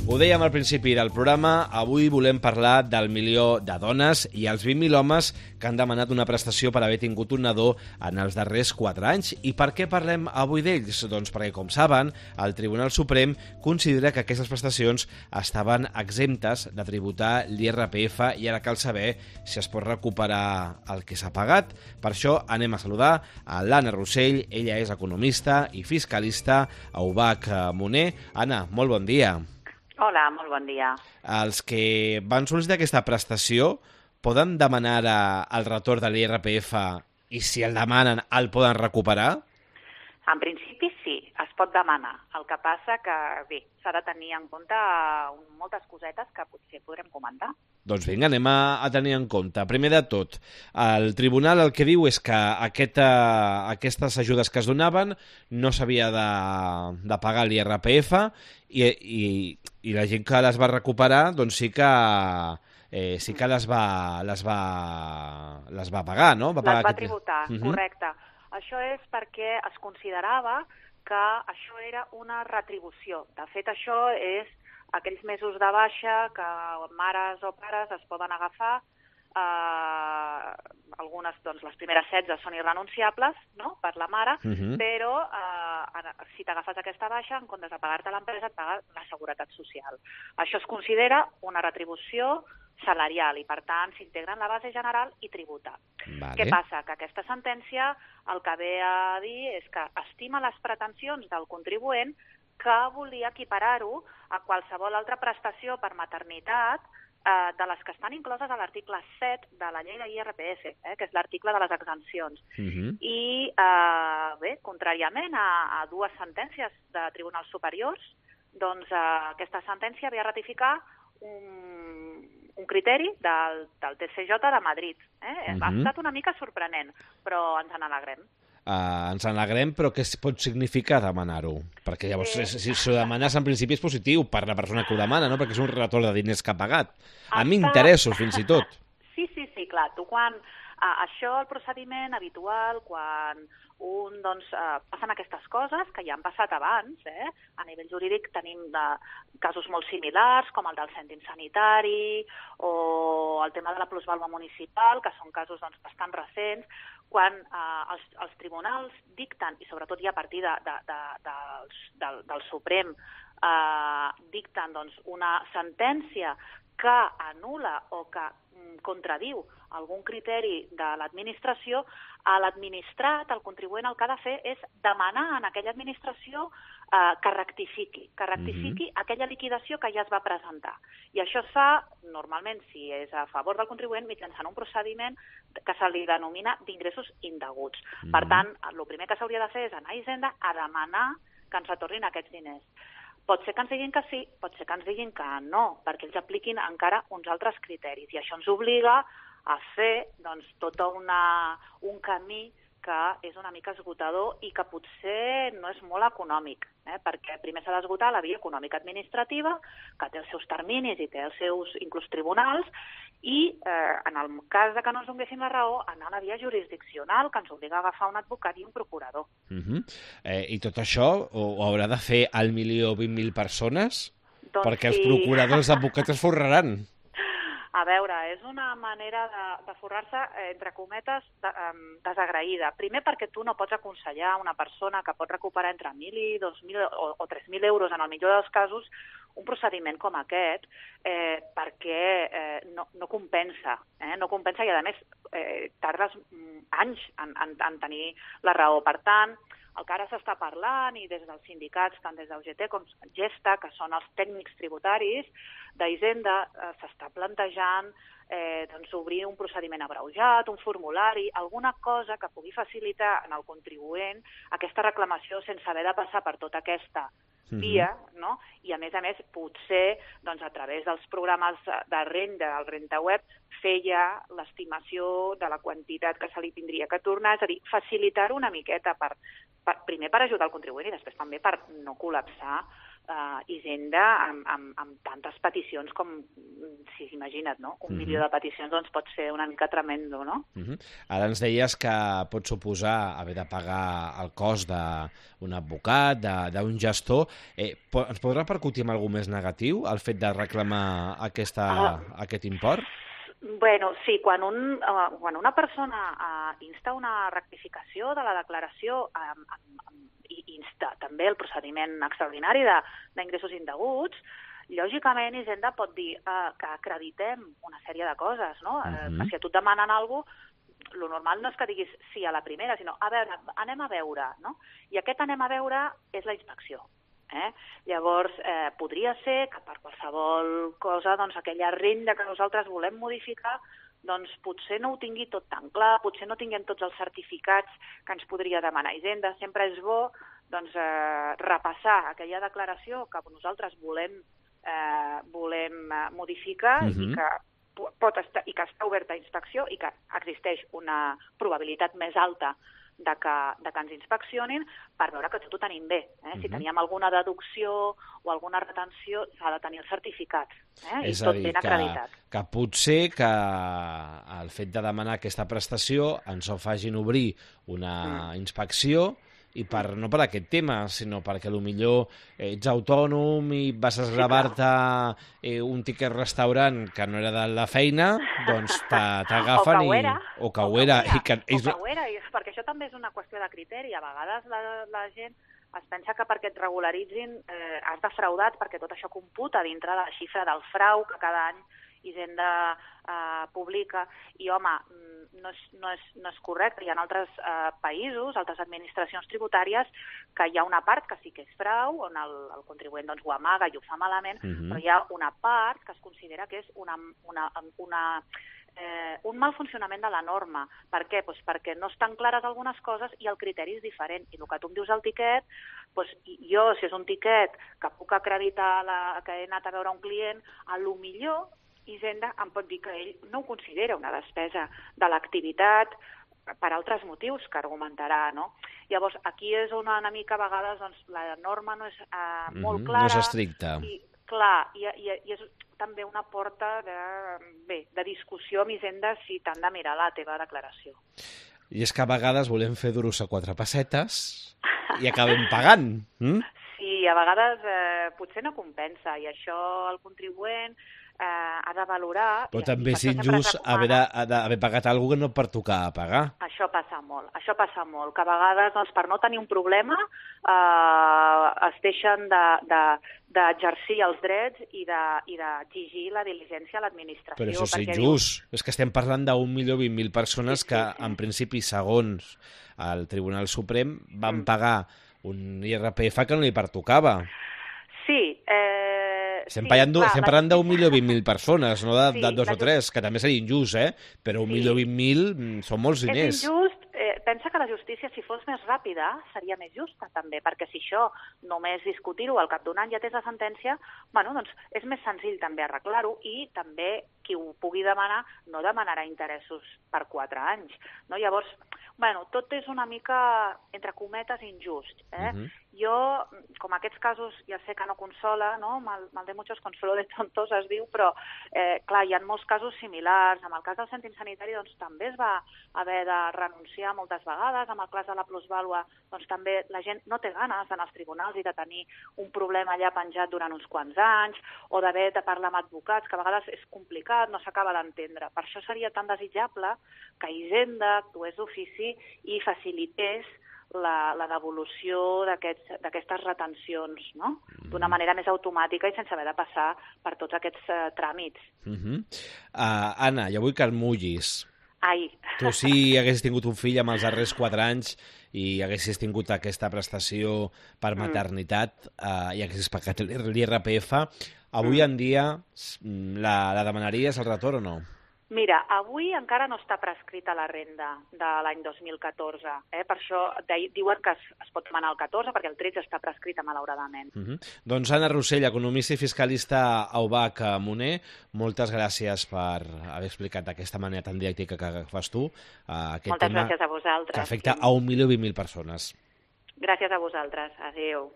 Ho dèiem al principi del programa, avui volem parlar del milió de dones i els 20.000 homes que han demanat una prestació per haver tingut un nadó en els darrers 4 anys. I per què parlem avui d'ells? Doncs perquè, com saben, el Tribunal Suprem considera que aquestes prestacions estaven exemptes de tributar l'IRPF i ara cal saber si es pot recuperar el que s'ha pagat. Per això anem a saludar a l'Anna Rossell, ella és economista i fiscalista a UBAC Moner. Anna, molt bon dia. Hola, molt bon dia. Els que van sol·licitar aquesta prestació poden demanar el retorn de l'IRPF i si el demanen el poden recuperar? En principi sí, es pot demanar. El que passa que, bé, s'ha de tenir en compte moltes cosetes que potser podrem comentar. Doncs vinga, anem a tenir en compte. Primer de tot, el tribunal el que diu és que aquestes ajudes que es donaven no s'havia de pagar l'IRPF i la gent que les va recuperar doncs sí que les va pagar, no? Les va tributar, correcte. Això és perquè es considerava que això era una retribució. De fet, això és aquells mesos de baixa que mares o pares es poden agafar. Algunes, doncs, les primeres 16 són irrenunciables, no?, per la mare, però si t'agafes aquesta baixa, en comptes de pagar-te l'empresa, et paga la Seguretat Social. Això es considera una retribució salarial i, per tant, s'integra en la base general i tributa. Vale. Què passa? Que aquesta sentència el que ve a dir és que estima les pretensions del contribuent que volia equiparar-ho a qualsevol altra prestació per maternitat de les que estan incloses a l'article 7 de la llei de l'IRPF, que és l'article de les exempcions. I, bé, contràriament a dues sentències de tribunals superiors, doncs aquesta sentència ve a ratificar un criteri del TCJ de Madrid. Ha estat una mica sorprenent, però ens n'alegrem. Ens n'alegrem, però què pot significar demanar-ho? Perquè llavors, si ho demanes, en principi és positiu per la persona que ho demana, no? Perquè és un retorn de diners que ha pagat. Amb interessos, fins i tot. Sí, clar. Tu quan... Això, el procediment habitual, quan passen aquestes coses, que ja han passat abans, a nivell jurídic tenim casos molt similars, com el del cèntim sanitari o el tema de la plusvàlua municipal, que són casos bastant recents, quan els tribunals dicten, i sobretot ja a partir del Suprem, dicten una sentència que anul·la o que contradiu algun criteri de l'administració, a l'administrat, el contribuent, el que ha de fer és demanar a aquella administració que rectifiqui aquella liquidació que ja es va presentar. I això es fa, normalment, si és a favor del contribuent, mitjançant un procediment que se li denomina d'ingressos indeguts. Per tant, el primer que s'hauria de fer és anar a Hisenda a demanar que ens retornin aquests diners. Pot ser que ens diguin que sí, pot ser que ens diguin que no, perquè ells apliquin encara uns altres criteris. I això ens obliga a fer tot un camí que és una mica esgotador i que potser no és molt econòmic, perquè primer s'ha d'esgotar la via econòmica administrativa, que té els seus terminis i té els seus inclús tribunals, i en el cas que no ens donguessin la raó, anar a la via jurisdiccional, que ens obliga a agafar un advocat i un procurador. I tot això ho haurà de fer 1.020.000 persones? Perquè els procuradors advocats es forraran. A veure, és una manera de forrar-se, entre cometes, desagraïda. Primer perquè tu no pots aconsellar a una persona que pot recuperar entre 1.000 i 2.000 o 3.000 euros, en el millor dels casos, un procediment com aquest, perquè no compensa. No compensa i, a més, tardes anys en tenir la raó. Per tant, el que ara s'està parlant, i des dels sindicats, tant des d'UGT com Gesta, que són els tècnics tributaris d'Hisenda, s'està plantejant obrir un procediment abreujat, un formulari, alguna cosa que pugui facilitar en el contribuent aquesta reclamació sense haver de passar per tota aquesta via, no? I a més, potser a través dels programes de renda, el RentaWeb, fer ja l'estimació de la quantitat que se li tindria que tornar, és a dir, facilitar-ho una miqueta, primer per ajudar el contribuent i després també per no col·lapsar Hisenda amb tantes peticions com, si s'imagina't, no? 1 milió de peticions doncs pot ser una mica tremendo, no? Ara ens deies que pot suposar haver de pagar el cost d'un advocat, d'un gestor. Ens pot repercutir en alguna més negatiu el fet de reclamar aquest import? Bueno, sí, quan una persona insta una rectificació de la declaració i insta també el procediment extraordinari d'ingressos indeguts, lògicament Hisenda pot dir que acreditem una sèrie de coses, no? Que si a tu et demanen alguna cosa, lo normal no és que diguis sí a la primera, sinó a veure, anem a veure, no? I aquest anem a veure és la inspecció. Llavors, podria ser que per qualsevol cosa, doncs, aquella renda que nosaltres volem modificar, doncs potser no ho tingui tot tan clar, potser no tinguem tots els certificats que ens podria demanar Hisenda. Sempre és bo doncs, repassar aquella declaració que nosaltres volem modificar i que està oberta a inspecció i que existeix una probabilitat més alta de que ens inspeccionin per veure que tot ho tenim bé. Si teníem alguna deducció o alguna retenció, s'ha de tenir el certificat. I tot ben acreditat. Que potser que el fet de demanar aquesta prestació ens ho facin obrir una inspecció i no per aquest tema, sinó perquè potser ets autònom i vas esgravar-te un tiquet restaurant que no era de la feina, doncs t'agafen o que ho era, perquè això també és una qüestió de criteri. A vegades la gent es pensa que perquè et regularitzin has defraudat, perquè tot això computa dintre de la xifra del frau que cada any Hisenda publica, i home, no és correcte. Hi ha altres països, altres administracions tributàries, que hi ha una part que sí que és frau, on el contribuent doncs, ho amaga i ho fa malament, però hi ha una part que es considera que és un mal funcionament de la norma. Per què? Doncs perquè no estan clares algunes coses i el criteri és diferent. I el que tu em dius al tiquet, doncs jo, si és un tiquet que puc acreditar que he anat a veure un client, a lo millor Hisenda em pot dir que ell no ho considera una despesa de l'activitat per altres motius que argumentarà, no? Llavors, aquí és on una mica a vegades doncs, la norma no és molt clara. No és estricta. I, clar, i és també una porta de discussió amb Hisenda si t'han de mirar la teva declaració. I és que a vegades volem fer duros a 4 pessetes i acabem pagant. Sí, a vegades potser no compensa, i això el contribuent ha de valorar... Però també és injust haver pagat alguna cosa que no et pertoca pagar. Això passa molt, que a vegades doncs, per no tenir un problema es deixen d'exercir els drets i d'exigir la diligència a l'administració. Però això és injust. És que estem parlant d'1.020.000 persones que, en principi, segons el Tribunal Suprem, van pagar un IRPF que no li pertocava. Sí, estem parlant d'1.020.000 persones, no de 2 o 3, que també seria injust, però 1.020.000 són molts diners. És injust. Pensa que la justícia, si fos més ràpida, seria més justa, també, perquè si això només discutir-ho al cap d'un any ja tens la sentència, doncs és més senzill també arreglar-ho, i també qui ho pugui demanar no demanarà interessos per 4 anys. No? Llavors, tot és una mica, entre cometes, injust. Jo, com aquests casos, ja sé que no consola, no? Mal de muchos consuelo de tontos, es diu, però, clar, hi ha molts casos similars. En el cas del cèntim sanitari, doncs, també es va haver de renunciar moltes vegades. En el cas de la plusvàlua, doncs, també la gent no té ganes d'anar als tribunals i de tenir un problema allà penjat durant uns quants anys, o d'haver de parlar amb advocats, que a vegades és complicat, no s'acaba d'entendre. Per això seria tan desitjable que Hisenda actués d'ofici i facilités la devolució d'aquestes retencions, no? D'una manera més automàtica i sense haver de passar per tots aquests tràmits. Anna, jo vull que el mullis. Ai. Tu si haguessis tingut un fill amb els darrers 4 anys i haguessis tingut aquesta prestació per maternitat i haguessis pagat l'IRPF, avui en dia la demanaries el retorn o no? Mira, avui encara no està prescrita la renda de l'any 2014. Per això diuen que es pot demanar el 14, perquè el 13 està prescrita, malauradament. Doncs Anna Rossell, economista i fiscalista a UBAC Moner, moltes gràcies per haver explicat d'aquesta manera tan diàctica que fas tu aquest moltes gràcies a vosaltres. Que afecta a 1.020.000 persones. Gràcies a vosaltres. Adéu.